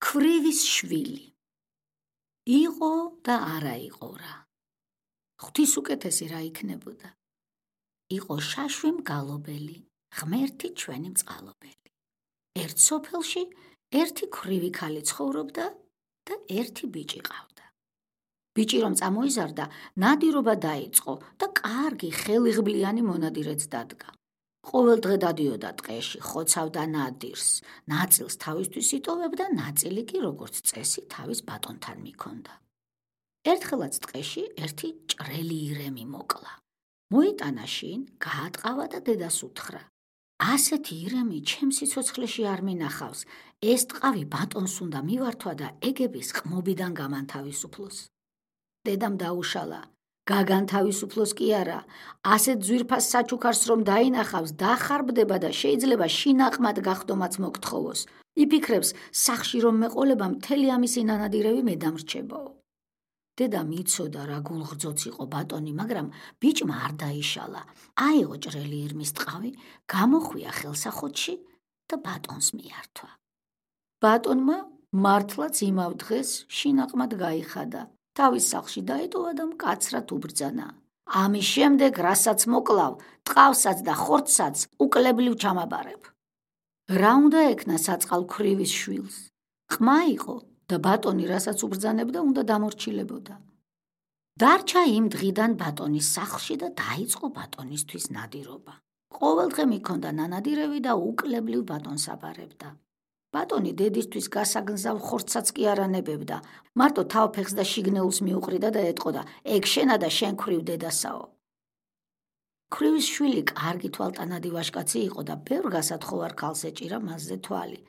ქვრივის შვილი. იყო და არა იყო რა. ღვთისუკეთესი რა იქნებოდა. იყო შაშვი მგალობელი, ღმერთი ჩვენი მწყალობელი. ერთ სოფელში ერთი ქვრივი ქალი ცხოვრობდა და ერთი ბიჭი ყავდა. ბიჭი რომ წამოიზარდა, ნადირობა დაიწყო და კარგი ხელიღბლიანი მონადირეც დადგა. ყოველ დღე დადიოდა ტყეში, ხოცავდა ნადირს, ნაწილს თავისთვის იტოვებდა, ნაწილი კი როგორც წესი თავის ბატონთან მიქონდა. ერთხელაც ტყეში ერთი ჭრელი ირემი მოკლა. მოიტანა შინ, გაატყავა და დედას უთხრა: ასეთი ირემი ჩემს სიცოცხლეში არ მინახავს, ეს ტყავი ბატონს უნდა მივართვა და ეგების ყმობიდან გამანთავისუფლოს. დედამ დაუშალა: გაგანთავისუფლოს კი არა, ასეთ ძვირფას საჩუქარს რომ დაინახავს, დახარბდება და შეიძლება შინაყმად გახდომაც მოგთხოვოს. იფიქრებს, სახში რომ მეყოლება მთელი ამისი ნანადირევი მე დამრჩებაო. დედამ იცოდა რა გულღრძოც იყო ბატონი, მაგრამ ბიჭმა არ დაიშალა. აიღო ჭრელი ირმის ტყავი, გამოხვია ხელსახოთში და ბატონს მიართვა. ბატონმა მართლაც იმავ დღეს შინაყმად გაიხადა. თავის სახლში დაეტოვა და მკაცრად უბრძანა: ამის შემდეგ, რასაც მოკლავ, ტყავსაც და ხორცსაც უკლებლივ ჩამაბარებ. რა უნდა ექნა საწყალ ქვრივის შვილს? ყმა იყო და ბატონი რასაც უბრძანებდა, უნდა დამორჩილებოდა. დარჩა იმ დღიდან ბატონის სახლში და დაიწყო ბატონისთვის ნადირობა. ყოველ დღე მიქონდა ნანადირევი და უკლებლივ ბატონს აბარებდა. ბატონი დედისთვის გასაგნზავ ხორცსაც კი არ ანებებდა, მარტო თავფეხს და შიგნეულს მიუყრიდა და ეტყოდა: ეგ შენა და შენ ქვრივ დედასაო. ქვრივის შვილი კარგი თვალტანადი ვაჟკაცი იყო და ბევრ გასათხოვარ ქალს ეჭირა მასზე თვალი,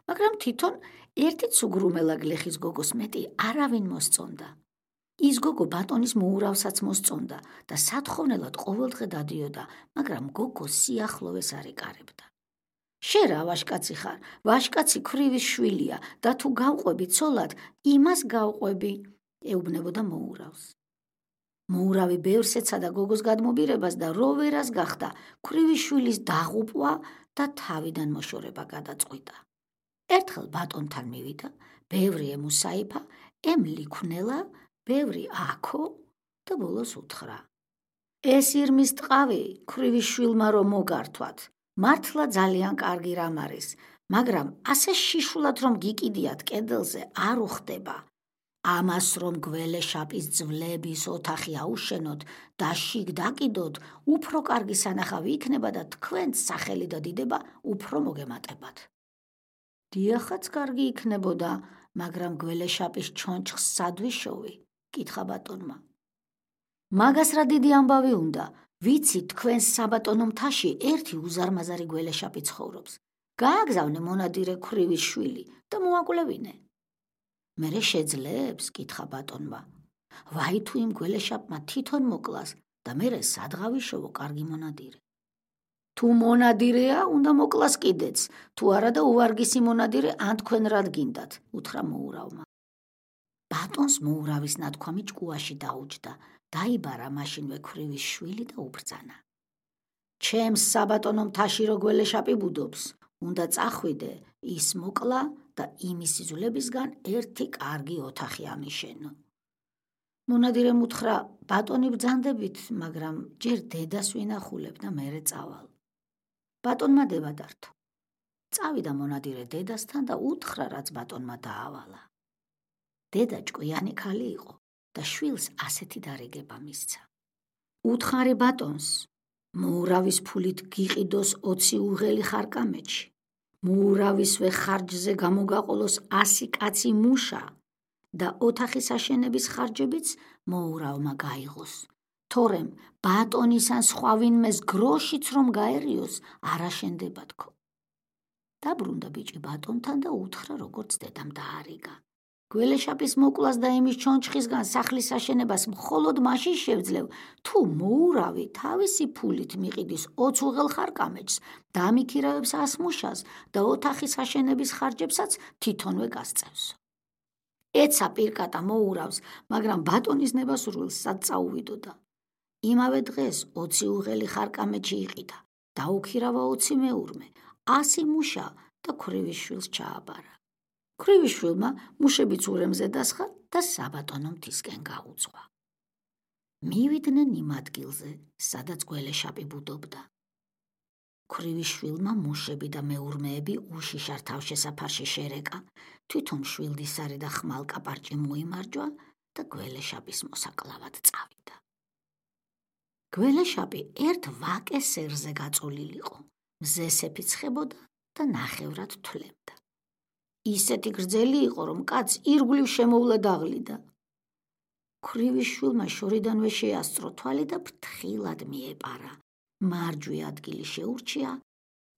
მაგრამ თვითონ ერთიც უგრუმელა გლეხის გოგოს მეტი არავინ მოსწონდა. ის გოგო ბატონის მოურავსაც მოსწონდა და სათხოვნელად ყოველდღე დადიოდა, მაგრამ გოგოს სიახლოვეს არ ეკარებდა. შენ რა ვაჟკაცი ხარ, ვაჟკაცი ქვრივის შვილია და თუ გავყვები ცოლად, იმას გავყვები, ეუბნებოდა მოურავს. მოურავი ბევრს ეცადა გოგოს გადმობირებას და რო ვერას გახდა, ქვრივის შვილის დაღუპვა და თავიდან მოშორება გადაწყვიტა. ერთხელ ბატონთან მივიდა, ბევრი ემუსაიფა, ემლიქვნელა, ბევრი აქო და ბოლოს უთხრა: ეს ირმის ტყავი ქვრივის შვილმა რომ მოგართვათ, მართლა ძალიან კარგი რამ არის, მაგრამ ასე შიშულად რომ გიკიდიათ კედელზე არ უხდება. ამას რომ გველეშაპის ძვლების ოთახი აუშენოთ და შიგ დაკიდოთ, უფრო კარგი სანახავი იქნება და თქვენც სახელი და დიდება უფრო მოგემატებათ. დიახაც კარგი იქნებოდა, მაგრამ გველეშაპის ჩონჩხს სად ვიშოვი? კითხა ბატონმა. მაგას რა დიდი ამბავი უნდა, ვიცი თქვენს საბატონო მთაში ერთი უზარმაზარი გველეშაპი ცხოვრობს. გააგზავნე მონადირე ქვრივის შვილი და მოაკვლევინე. მერე შეძლებს? კითხა ბატონმა. ვაი თუ იმ გველეშაპმა თვითონ მოკლას და მერე სადღავიშოვო კარგი მონადირე. თუ მონადირეა, უნდა მოკლას კიდეც, თუ არა და უვარგისი მონადირე ან თქვენ რად გინდათ, უთხრა მოურავმა. ბატონს მოურავის ნათქვამი ჭკუაში დაუჯდა, დაიბარა მაშინვე ქვრივის შვილი და უბრძანა: ჩემს საბატონო მთაში რო გველეშაპი ბუდობს, უნდა წახვიდე, ის მოკლა და იმის სიზულებისგან ერთი კარგი ოთახი ამიშენო. მონადირემ უთხრა: ბატონი ბრძანდებით, მაგრამ ჯერ დედას ვინახულებ და მერე წავალ. ბატონმა დება დართო. წავიდა მონადირე დედასთან და უთხრა, რაც ბატონმა დაავალა. დედა ჭკვიანი ქალი იყო და შვილს ასეთი დარიგება მისცა. უთხარი ბატონს, მოურავის ფულით გიყიდოს 20 უღელი ხარკამეთში, მოურავისვე ხარჯზე გამოგაყოლოს 100 კაცი მუშა და ოთახის აშენების ხარჯებიც მოურავმა გაიღოს. თორემ ბატონის ან სხვა ვინმეს გროშიც რომ გაერიოს, არ აშენდება თქო. დაბრუნდა ბიჭი ბატონთან და უთხრა, როგორც დედამ დაარიგა. გველეშაპის მოკლას და იმის ჩონჩხისგან სახლის აშენებას მხოლოდ მაშინ შევძლევ, თუ მოურავი თავისი ფულით მიყიდის 20 უღელ ხარკამეთს, დამიქირავებს 100 მუშას და ოთახის აშენების ხარჯებსაც თვითონვე გასწევს. ეცა პირკატა მოურავს, მაგრამ ბატონის ნებასრულს სად წაუვიდოდა. იმავე დღეს 20 უღელი ხარკამეთში იყიდა, დაუქირავა 20 მეურმე, 100 მუშა და ქვრივის შვილს ჩააბარა. ქვრივიშვილმა მუშებიც ურემზე დასხა და საბატონო მთისკენ გაუძღვა. მივიდნენ იმ ადგილზე, სადაც გველეშაპი ბუდობდა. ქვრივიშვილმა მუშები და მეურმეები უშიშარ თავშესაფარში შერეკა, თვითონ შვილდისარი და ხმალკაპარჭი მოიმარჯვა და გველეშაპის მოსაკლავად წავიდა. გველეშაპი ერთ ვაკე სერზე გაწოლილიყო, მზესეფი ცხებოდა და ნახევრად თვლებდა. ისეთი გრძელი იყო, რომ კაცს ირგვლივ შემოვლა დაღლიდა. ქვრივიშვილმა შორიდანვე შეასწრო თვალი და ფრთხილად მიეპარა. მარჯვე ადგილი შეურჩია,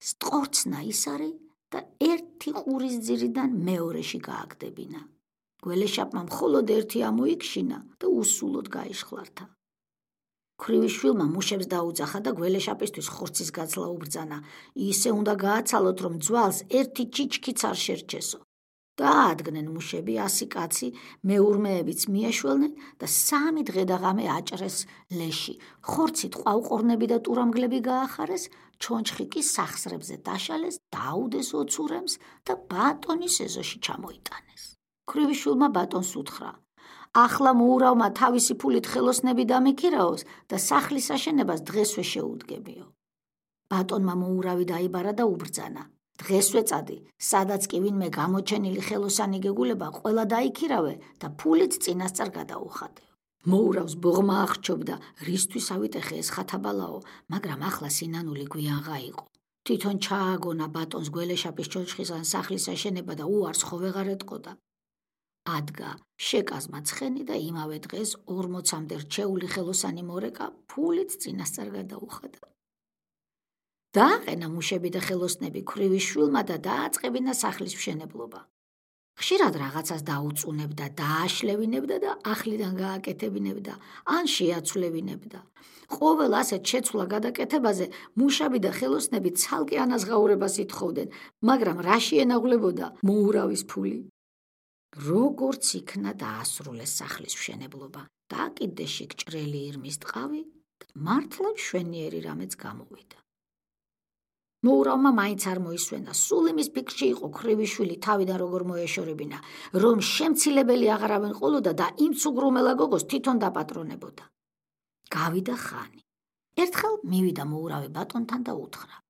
სტყორცნა ისარი და ერთი ყურის ძირიდან მეორეში გააგდებინა. გველეშაპმა მხოლოდ ერთი ამოიქშინა და უსულოდ გაიშხლართა. ქვრივიშვილმა მუშებს დაუძახა და გველეშაპისთვის ხორცის გაცლა უბრძანა. ისე უნდა გააცალოთ, რომ ძვალს ერთი ჩიჩქიც არ შერჩესო. დაადგნენ მუშები 100 კაცი, მეურმეებიც მიაშველნენ და 3 დღე და ღამე აჭრეს ლეში. ხორცით ყვავყორნები და ტურამგლები გაახარეს, ჩონჩხი კი სახსრებზე დაშალეს, დაუდეს ოცურემს და ბატონის ეზოში ჩამოიტანეს. ქვრივიშვილმა ბატონს უთხრა: ახლა მოურავმა თავისი ფულით ხელოსნები დამიქირაოს და სახლის აშენებას დღესვე შეუდგებიო. ბატონმა მოურავი დაიბარა და უბრძანა: დღესვე წადი, სადაც კი ვინმე გამოჩენილი ხელოსანი გეგულება, ყველა დაიქირავე და ფულით წინასწარ გადაუხადე. მოურავს ბოღმა აღრჩობდა, რისთვის ავიტეხე ეს ხათაბალაო, მაგრამ ახლა სინანული გვიანღა იყო. თვითონ ჩააგონა ბატონს გველეშაპის ჩონჩხისგან სახლის აშენება და უარს ხო ვეღარ ეტყოდა. ადგა შეკაზმა ცხენი და იმავე დღეს 40-მდე რჩეული ხელოსანი მორეკა ფულით წინასწარ გადაუხადა. დააყენა მუშები და ხელოსნები ქვრივიშვილმა და დააწყებინა სახლის მშენებლობა. ხშირად რაღაცას დაუწუნებდა, დააშლევინებდა და ახლიდან გააკეთებინებდა, ან შეაცვლევინებდა. ყოველ ასეთ შეცვლა გადაკეთებაზე მუშები და ხელოსნები ცალკე ანაზღაურებას ითხოვდნენ, მაგრამ რა შეენაღლებოდა მოურავის ფული. როგორც იქნა დაასრულეს სახლის მშენებლობა, დაკიდეში გჭრელი ირმის ტყავი და მართლა მშვენიერი რამეც გამოვიდა. მოურავმა მაინც არ მოისვენა, სულ იმის ფიქრში იყო ქვრივიშვილი თავიდან როგორ მოეშორებინა, რომ შემცილებელი აღარავენ ყოლოდა და იმ ცუგრუმელა გოგოს თვითონ დაპატრონებოდა. გავიდა ხანი. ერთხელ მივიდა მოურავი ბატონთან და უთხრა: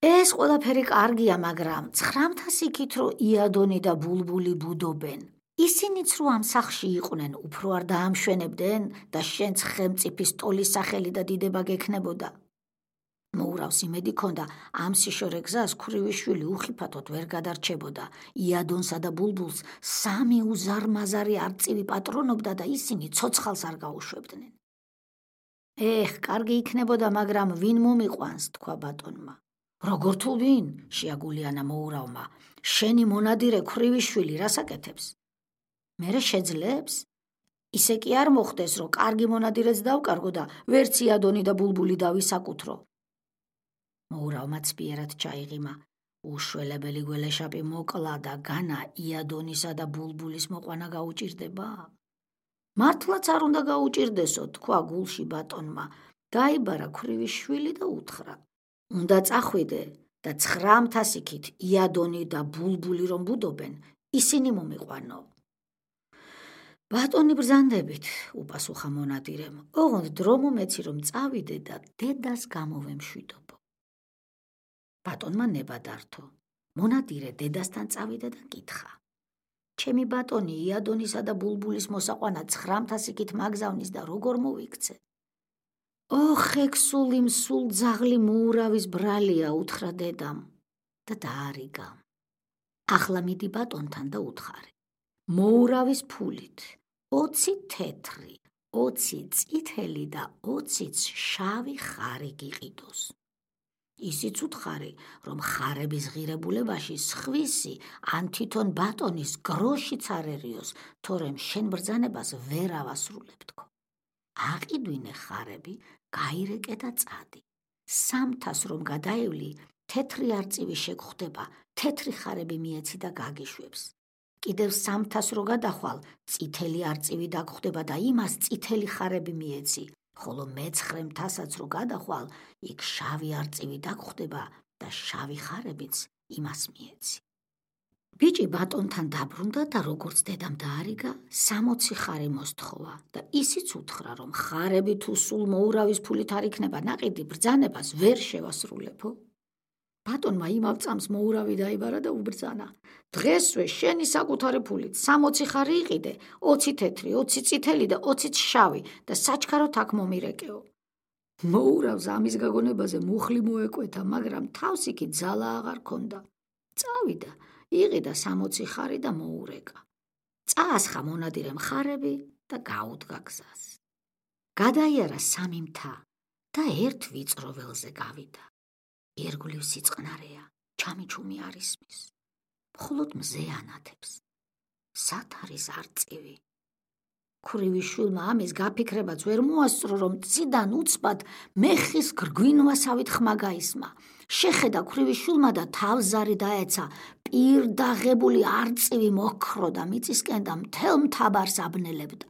ეს ყველაფერი კარგია, მაგრამ 900 იქით რომ იადონი და ბულბული ბუდობენ. ისინიც რო ამ სახლში იყვნენ, უფრო არ დაამშვენებდნენ და შენც ხელმწიფის ტოლის სახელი და დიდება გექნებოდა. მოურავს იმედი ქონდა, ამ სიშორე გზას ქვრივიშვილი უხიფათოდ ვერ გადარჩებოდა. იადონსა და ბულბულს 3 უზარმაზარი არწივი პატრონობდა და ისინი ცოცხალს არ გაუშვებდნენ. კარგი იქნებოდა, მაგრამ ვინ მომიყვანს, თქვა ბატონმა. როგორ თუ ვინ? შეაგულიანა მოურავმა. შენი მონადირე ქვრივიშვილი რას აკეთებს? მერე შეძლებს? ისე კი არ მოხდეს, რომ კარგი მონადირეც დავკარგო და ვერც იადონი და ბულბული დავისაკუთრო. მოურავმა ცბიერად ჩაიღიმა. უშველებელი გველეშაპი მოკლა და განა იადონისა და ბულბულის მოყვანა გაუჭირდება? მართლაც არ უნდა გაუჭირდესო, თქვა გულში ბატონმა. დაიბარა ქვრივიშვილი და უთხრა: უნდა წახვიდე და 900 იქით იადონი და ბულბული რომ ბუდობენ, ისინი მომიყვანო. ბატონი ბრძანდებით, უპასუხა მონადირემ. ოღონდ დრო მომეცი რომ წავიდე და დედას გამოვემშვიდობო. ბატონმა ნება დართო. მონადირე დედასთან წავიდა და კითხა: ჩემი ბატონი იადონისა და ბულბულის მოსაყვანა 900 იქით მაგზავნის და როგორ მოვიქცე? ექსული მსულ ძაღლი მოურავის ბრალია, უთხრა დედამ და დაარიგა. ახლა მიდი ბატონთან და უთხარი. მოურავის ფულით 20 თეთრი, 20 წითელი და 20 შავი ხარი გიყიდოს. ისიც უთხარი, რომ ხარების ღირებულებაში სხვისი ან თვითონ ბატონის გროშიც არერიოს, თორემ შენ ბრძანებას ვერ ავასრულებ თქო. აყიდვინე ხარები, გაირეკე და წადი. 300 რომ გადაევლი, თეთრი არწივი შეგხვდება, თეთრი ხარები მიეცი და გაგიშვებს. კიდევ 300 რო გადახვალ, წითელი არწივი დაგხვდება და იმას წითელი ხარები მიეცი, ხოლო მე-900-საც რო გადახვალ, იქ შავი არწივი დაგხვდება და შავი ხარებიც იმას მიეცი. ბიჭი ბატონთან დაბრუნდა და როგორც დედამ დაარიგა, 60 ხარი მოსთხოვა და ისიც უთხრა, რომ ხარები თუ სულ მოურავის ფულით არ იქნება ნაყიდი, ბრძანებას ვერ შევასრულებო. ბატონმა იმავ წამს მოურავი დაიბარა და უბრძანა: დღესვე შენი საკუთარი ფულით 60 ხარი იყიდე, 20 თეთრი, 20 წითელი და 20 შავი და საჩქაროდ აქ მომირეკეო. მოურავს ამის გაგონებაზე მუხლი მოეკვეთა, მაგრამ თავს იქით ძალა აღარ ქონდა. წავიდა, იყიდა 60 ხარი და მოურეკა. წაასხა მონადირემ ხარები და გაუდგა გზას. გადაიარა 3 მთა და ერთ ვიწრო ველზე გავიდა. ირგვლივ სიწყნარეა, ჩამიჩუმი არ ისმის. მხოლოდ მზე ანათებს. სად არის არწივი? ქვრივის შვილმა ამის გაფიქრებაც ვერ მოასწრო, რომ წიდან უცბად მეხის გრგვინვასავით ხმა გაისმა. შეხედა ქვრივის შვილმა და თავზარი დაეცა. პირდაღებული არწივი მოქრო და მიწისკენ და მთელ მთაბარს აბნელებდა.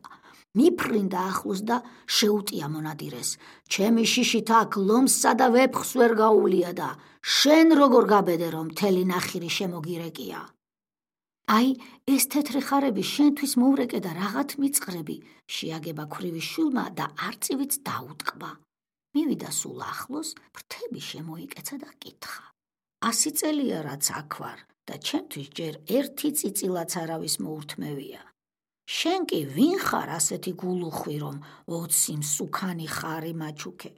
მიფრინდა ახლოს და შეუტია მონადირეს: ჩემი შიშით აქ ლომსსა და ვეფხვს ვერ გაუვლია და შენ როგორ გაბედე, რომ მთელი ნახირი შემოგირეკია? აი, ეს თეთრი ხარები შენთვის მოვრეკე და რაღაც მიწყრები, შეაგება ქვრივის შვილმა და არწივიც დაუტკბა. მივიდა სულ ახლოს, ფრთები შემოიკეცა და კითხა: 100 წელია რაც აქ ვარ და ჩემთვის ჯერ ერთი წიწილაც არავის მოურთმევია. შენ კი ვინ ხარ ასეთი გულუხვი, რომ 20 მსუქანი ხარი მაჩუქე?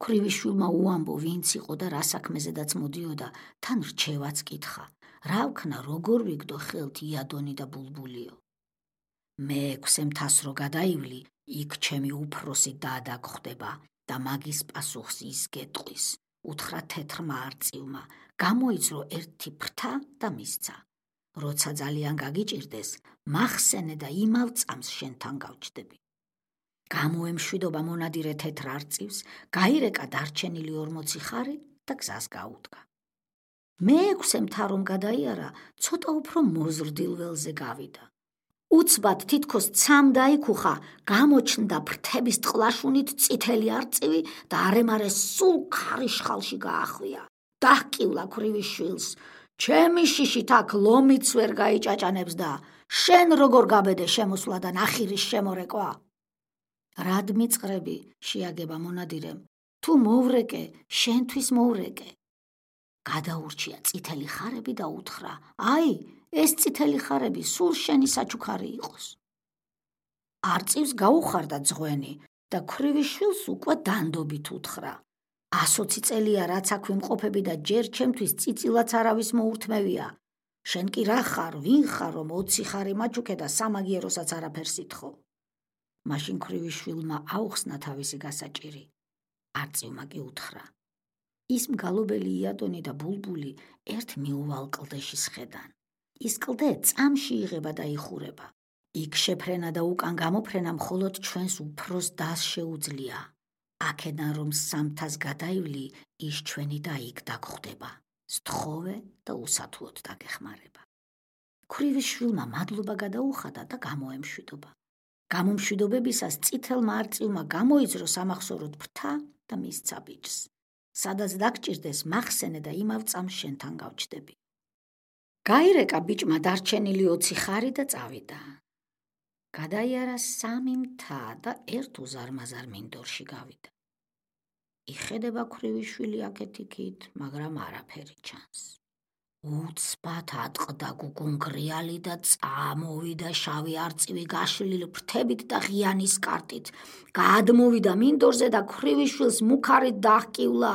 ქვრივის შვილმა უამბო ვინც იყო და რა საქმეზედაც მოდიოდა, თან რჩევაც კითხა: რა ვქნა, როგორ ვიგდო ხელთ იადონი და ბულბულიო? მე-6 მთას რო გადაივლი, იქ ჩემი უფროსი დადა გხვდება და მაგის პასუხს ის გეტყვის. უთხრა თეთრმა არწივმა, გამოიძრო ერთი ფრთა და მისცა. როცა ძალიან გაგიჭირდეს, მახსენე და იმავ წამს შენთან გავჩდები. გამოემშვიდობა მონადირე თეთრ არწივს, გაირეკა დარჩენილი 40 ხარი და გზას გაუდგა. მე-6 მთა რომ გადაიარა, ცოტა უფრო მოზრდილ ველზე გავიდა. უცბად თითქოს ცამ დაიქუხა, გამოჩნდა ფრთების ტყლაშუნით წითელი არწივი და არემარე სულ ქარიშხალში გაახვია. დაჰკივლა ქვრივის შვილს: ჩემი შიშით აქ ლომიც ვერ გაიჭაჭანებს და შენ როგორ გაბედე შემოსვლა და ნახირის შემორეკვა? რად მიწყრები, შეაგება მონადირემ, თუ მოვრეკე, შენთვის მოვრეკე. გადაურჩია წითელი ხარები და უთხრა: აი, ეს წითელი ხარები სულ შენი საჩუქარი იყოს. არწივს გაუხარდა ძღვენი და ქვრივის შვილს უკვე დანდობით უთხრა: 120 წელია რაც აქ ვიმყოფები და ჯერ ჩემთვის წიწილაც არავის მოურთმევია. შენ კი რა ხარ, ვინ ხარ, რომ 20 ხარი მაჩუქე და სამაგიეროსაც არაფერს ითხოვ? მაშინ ქვრივის შვილმა აუხსნა თავისი გასაჭირი. არწივმა კი უთხრა: ის მგალობელი იადონი და ბულბული ერთ მიუვალ კლდეში სხედან. ის კლდე წამში იღება და იხურება. იქ შეფრენა და უკან გამოფრენა მხოლოდ ჩვენს უფროს დას შეუძლია. აქედან რომ 3 მთას გადაივლი, ის ჩვენი და იქ დაგხვდება. სთხოვე და უსათუოდ დაგეხმარება. ქვრივის შვილმა მადლობა გადაუხადა და გამოემშვიდობა. გამომშვიდობებისას წითელმა არწივმა გამოიძრო სამახსოვროდ ფრთა და მისცა ბიჭს: სადაც დაგჭირდეს, მახსენე და იმავ წამს შენთან გავჩდები. გაირეკა ბიჭმა დარჩენილი 20 ხარი და წავიდა. გადაიარა 3 მთა და ერთ უზარმაზარ მინდორში გავიდა. იხედება ქვრივის შვილი აქეთ-იქით, მაგრამ არაფერი ჩანს. უცბად ატყდა გუგუნგრიალი და წამოვიდა შავი არწივი გაშლილი ფრთებით და ღიანის კარტით. გადმოვიდა მინდორზე და ქვრივის შვილს მუქარით დაჰკივლა: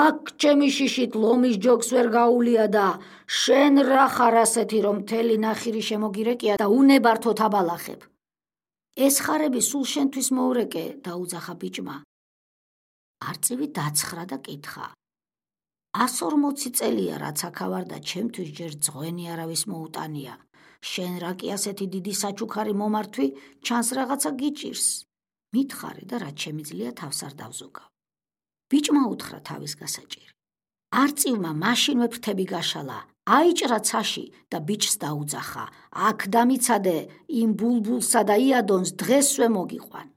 აქ ჩემი შიშით ლომის ჯოგს ვერ გაუვლია და შენ რა ხარ ასეთი, რომ მთელი ნახირი შემოგირეკია და უნებართოდ აბალახებ? ეს ხარები სულ შენთვის მოვრეკე, დაუძახა ბიჭმა. არწივი დაცხრა და კითხა: 140 წელია რაც აქა ვარ და ჩემთვის ჯერ ძღვენი არავის მოუტანია. შენ რა კი ასეთი დიდი საჩუქარი მომართვი, ჩანს რაღაცა გიჭირს. მითხარი და რაც შემიძლია თავს არ დავზოგავ. ბიჭმა უთხრა თავის გასაჭირი. არწივმა მაშინვე ფრთები გაშალა, აიჭრა ცაში და ბიჭს დაუძახა: აქ დამიცადე, იმ ბულბულსა და იადონს დღესვე მოგიყვან.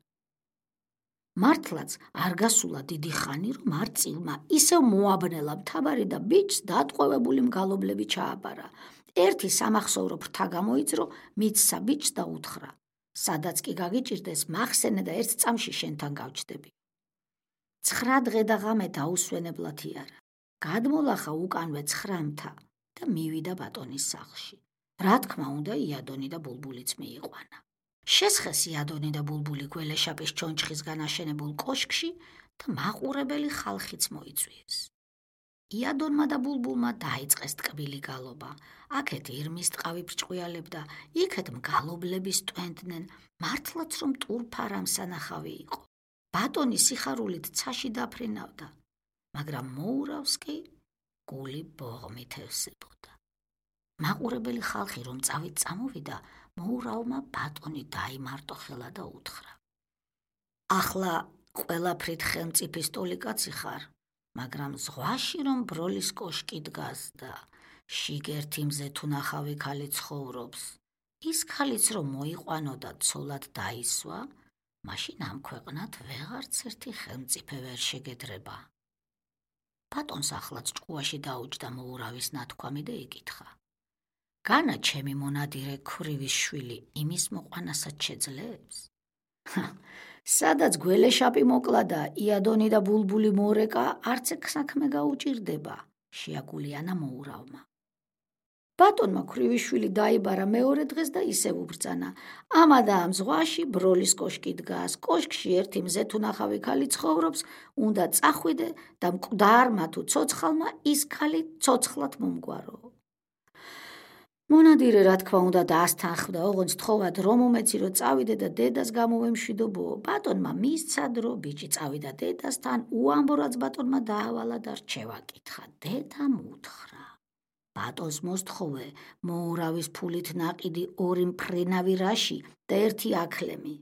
მართლაც არ გასულა დიდი ხანი, რომ არწივმა ისევ მოაბნელა მთაბარი და ბიჭს დატყვევებული მგალობლები ჩააბარა. ერთი სამახსოვრო ფრთა გამოიძრო, მიცსა ბიჭს და უთხრა: სადაც კი გაგიჭირდეს, მახსენე და ერთ წამში შენთან გავჩდები. 9 დღე და ღამე დაუსვენებლად იარა. გადმოლახა უკანვე 9 მთა და მივიდა ბატონის სახლში. რა თქმა უნდა, იადონი და ბულბულიც მიიყვანა. შესხეს იადონი და ბულბული გველეშაპის ჩონჩხისგან აშენებულ კოშკში და მაყურებელი ხალხიც მოიწვიეს. იადონმა და ბულბულმა დაიწყეს ტკბილი გალობა. აქეთ ირმის ტყავი ბრჭყვიალებდა, იქეთ მგალობლების ტვენდნენ, მართლაც რომ ტურფარამ სანახავი იყო. ბატონი სიხარულით ცაში დაფრინავდა, მაგრამ მოურავს კი გული ბოღმით ევსებოდა. მაყურებელი ხალხი რომ წავით წამოვიდა, მოურავმა ბატონი დაიმარტო ხელა და უთხრა: ახლა ყველაფრით ხელმწიფი სტოლიკაცი ხარ, მაგრამ ზღვაში რომ ბროლის კოშკი დგას და შიგერთი მზე თუ ნახავი ქალი ცხოვრობს, ის ქალიც რომ მოიყვანო და ცოლად დაისვა, მაშინ ამ ქვეყნად ვეღარც ერთი ხელმწიფე ვერ შეგედრება. ბატონს ახლაც ჭკუაში დაუჯდა მოურავის ნათქვამი და იკითხა: განა ჩემი მონადირე ქვრივის შვილი იმის მოყვანასაც შეძლებს? სადაც გველეშაპი მოკლა და იადონი და ბულბული მორეკა, არც ეგ საქმე გაუჭირდება, შეაგულიანა მოურავმა. ბატონმა ქვრივიშვილი დაიბარა მეორე დღეს და ისევ უბრძანა: ამა და ამ ზღვაში ბროლის კოშკი დგას, კოშკში ერთი მზე თუ ნახავი ქალი ცხოვრობს, უნდა წახვიდე და მკვდარმა თუ ცოცხალმა ის ქალი ცოცხლად მომგვარო. მონადირე რა თქმა უნდა დაასთანხმდა, ოღონდ თხოვად რომ უმეცირო წავიდე და დედას გამოვემშვიდობო. ბატონმა მისცა დრო, ბიჭი წავიდა დედასთან, უამბო რაც ბატონმა დაავალა და რჩევა კითხა. დედამ უთხრა: ბატონს მოსთხოვე მოურავის ფულით ნაყიდი 2 მფრინავი რაში და 1 აქლემი.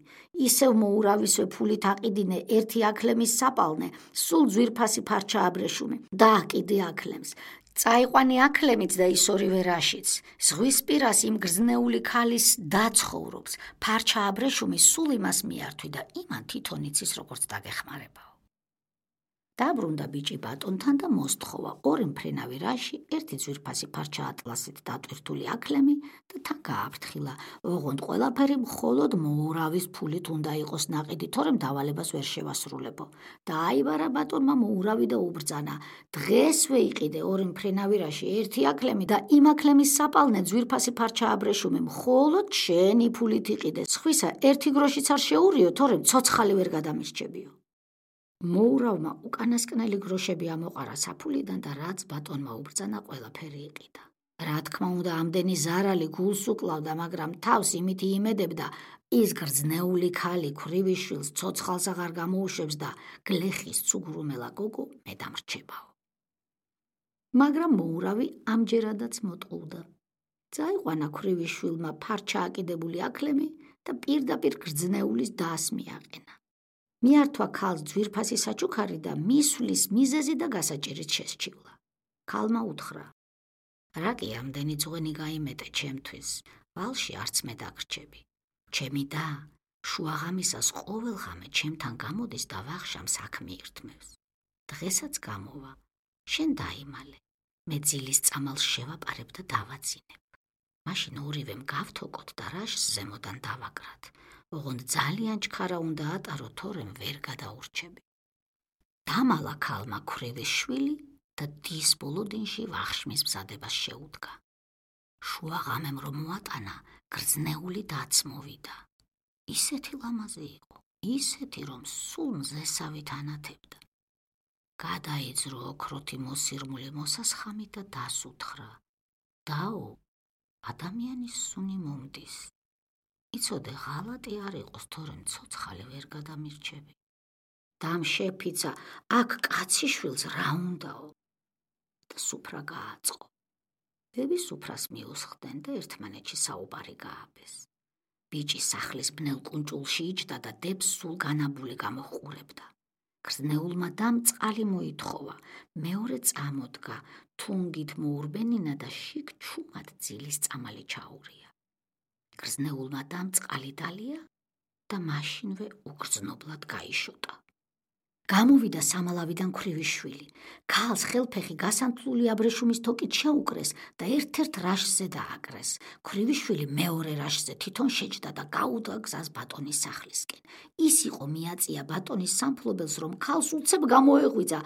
ისევ მოურავისვე ფულით აყიდინე 1 აქლემის საპალნე, სულ ძვირფასი ფარჩა აბრეშუმე და აკიდე აქლემს. წაიყვანი აქლემიც და ის 2 რაშიც. ზღვის პირას იმ გრძნეული ქალის დაცხოვრობს. ფარჩა აბრეშუმი სულ იმას მიართვი და იმან თვითონ იცის როგორც დაგეხმარებაო. დაბრუნდა ბიჭი ბატონთან და მოსთხოვა 2 მფრინავი რაში, 1 ძვირფასი ფარჩა ატლასით დატვირთული აქლემი და თან გააფრთხილა. ოღონდ ყველაფერი მხოლოდ მოურავის ფულით უნდა იყოს ნაყიდი, თორემ დავალებას ვერ შევასრულებო. დააიბარა ბატონმა მოურავი და უბრძანა: დღესვე იყიდე 2 მფრინავი რაში, 1 აქლემი და იმ აქლემის საპალნე ძვირფასი ფარჩა აბრეშუმე მხოლოდ შენი ფულით იყიდე. სხვისა 1 გროშიც არ შეურიო, თორემ ცოცხალი ვერ გადამისჩებიო. მოურავმა უკანასკნელი გროშები ამოყარა საფულიდან და რაც ბატონმა უბრძანა ყველაფერი იყიდა. რა თქმა უნდა ამდენი ზარალი გულს უკლავდა, მაგრამ თავს იმითი იმედებდა, ის გრძნეული ქალი ქვრივიშვილს ცოცხალს აღარ გამოუშვებს და გლეხის ცუგრუმელა გოგო მე დამრჩებაო. მაგრამ მოურავი ამჯერადაც მოტყუდა. წაიყვანა ქვრივიშვილმა ფარჩა აკიდებული აქლემი და პირდაპირ გრძნეულის დას მიაყენა. მიართვა ქალს ძვირფასი საჩუქარი და მისვლის მიზეზი და გასაჭირით შესჩივლა. ქალმა უთხრა: რა კი ამდენი ძღვენი გაიმეტე ჩემთვის, ვალში არც მე დაგრჩები. ჩემი და შუაღამისას ყოველღამე ჩემთან გამოდის და ვახშამ საქმე ირთმევს. დღესაც გამოვა, შენ დაიმალე, მე ძილის წამალს შევაპარებ და დავაძინებ. მაშინ ორივემ გავთოკოთ და რაშს ზემოდან დავაკრათ. ოღონდ ძალიან ჩქარა უნდა ატარო, თორემ ვერ გადაურჩები. დამალა ქალმა ქვრივის შვილი და დის ბოლოდინში ვახშმის მზადებას შეუდგა. შუაღამემ რომ მოატანა, გრძნეული დაც მოვიდა. ისეთი ლამაზი იყო, ისეთი რომ სულ მზესავით ანათებდა. გადაიძრო ოქროთი მოსირმული მოსასხამი და დას უთხრა: დაო, ადამიანის სუნი მომდის. იცოდე ღალატი არ იყოს, თორემ ცოცხალი ვერ გადამირჩები. დამ შეფიცა, აქ კაციშვილს რა უნდაო? და სუფრა გააწყო. ბები სუფრას მიუსხდნენ და ერთმანეთში საუბარი გააბეს. ბიჭი სახლის ბნელ კუნჭულში იჯდა და დებს სულ განაბული გამოჰყურებდა. გრძნეულმა დამ წყალი მოითხოვა, მეორე წამოდგა, თუნგით მოურბენინა და შიგ ჩუმად ძილის წამალი ჩაურია. გრძნეულმა დამ წყალი დალია და მაშინვე უგრძნობლად გაიშოტა. გამოვიდა სამალავიდან ქვრივის შვილი. ქალს ხელფეხი გასანთლული აბრეშუმის თოკით შეუკრეს და ერთ-ერთ რაშზე დააკრეს. ქვრივის შვილი მეორე რაშზე თვითონ შეჯდა და გაუდგა გზას ბატონის სახლისკენ. ის იყო მიაწია ბატონის სამფლობელს, რომ ქალს უცებ გამოეღვიძა,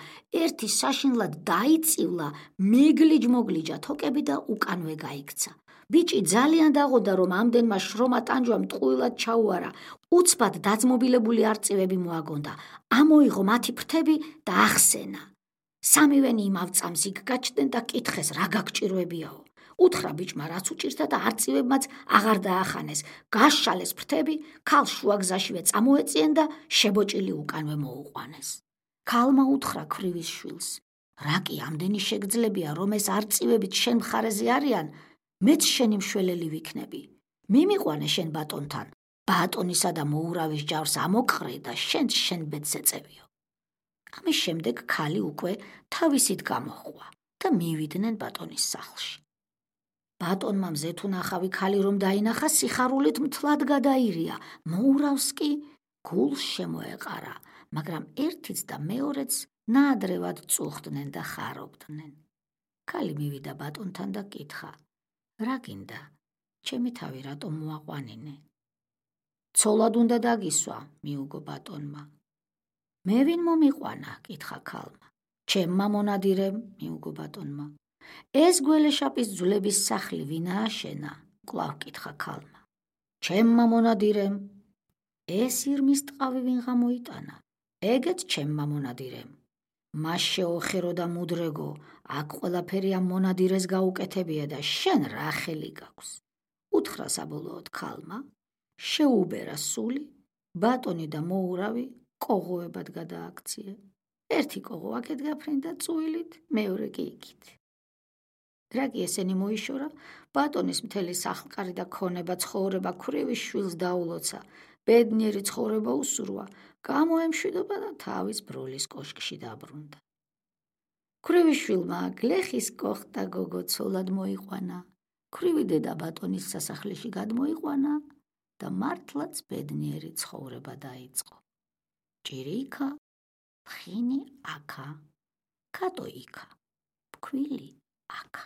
ერთი საშინლად დაიწივლა, მეგლიჯ-მოგლიჯა თოკები და უკანვე გაიქცა. ბიჭი ძალიან დაღოდა, რომ ამდენმა შრომა ტანჯვამ ტყუილად ჩაუარა. უცბად დაძმობილებული არწივები მოაგონდა. ამოიღო მათი ფრთები და ახსენა. სამივენი იმავ წამს იქ გაჩნდნენ და კითხეს, რა გაგჭირვებიაო. უთხრა ბიჭმა, რაც უჭირდა და არწივებმაც აღარ დაახანეს. გაშალეს ფრთები, ქალს შუაგზაშივე წამოეწიენ და შებოჭილი უკანვე მოუყვანეს. ქალმა უთხრა ქვრივის შვილს, რა კი ამდენი შეგძლებია, რომ ეს არწივებით შენ მხარეზე არიან, მეც შენი მშველელი ვიქნები. მიმიყვანე შენ ბატონთან, ბატონისა და მოურავის ჯავს ამოყრე და შენ ბედს ეწევიო. ამის შემდეგ ქალი უკვე თავისით გამოჰყვა და მივიდნენ ბატონის სახლში. ბატონმა მზეთუნახავი ქალი რომ დაინახა, სიხარულით მთლად გადაირია. მოურავს კი გულს შემოეყარა, მაგრამ ერთიც და მეორეც ნაადრევად წუხდნენ და ხარობდნენ. ქალი მივიდა ბატონთან და კითხა, რა გინდა, ჩემი თავი რატომ მოაყვანინე? ცოლად უნდა დაგისვა, მიუგო ბატონმა. მე ვინ მომიყვანა, კითხა ქალმა. ჩემმა მონადირემ, მიუგო ბატონმა. ეს გველეშაპის ძვლების სახლი ვინ ააშენა? კვლავ კითხა ქალმა. ჩემმა მონადირემ. ეს ირმის ტყავი ვინ გამოიტანა? ეგეც ჩემმა მონადირემ. მას შეოხერო და მუდრეგო, აქ ყველაფერი ამ მონადირეს გაუკეთებია და შენ რა ხელი გაქვს? უთხრა საბოლოოდ ქალმა, შეუბერა სული, ბატონი და მოურავი კოღოებად გადააქცია. ერთი კოღო აქეთ გაფრინდა წუილით, მეორე კი იქით. რა კი ესენი მოიშორა, ბატონის მთელი სახლკარი და ქონება ცხოვრება ქვრივის შვილს დაულოცა, ბედნიერი ცხოვრება უსურვა, გამოემშვიდობა და თავის ბროლის კოშკში დაბრუნდა. ქვრივის შვილმა გლეხის კოხტა გოგო ცოლად მოიყვანა, ქვრივი დედა ბატონის სასახლეში გადმოიყვანა და მართლაც ბედნიერი ცხოვრება დაიწყო. ჭირი იქა, ფხინი აქა, კატო იქა, ფქვილი აქა.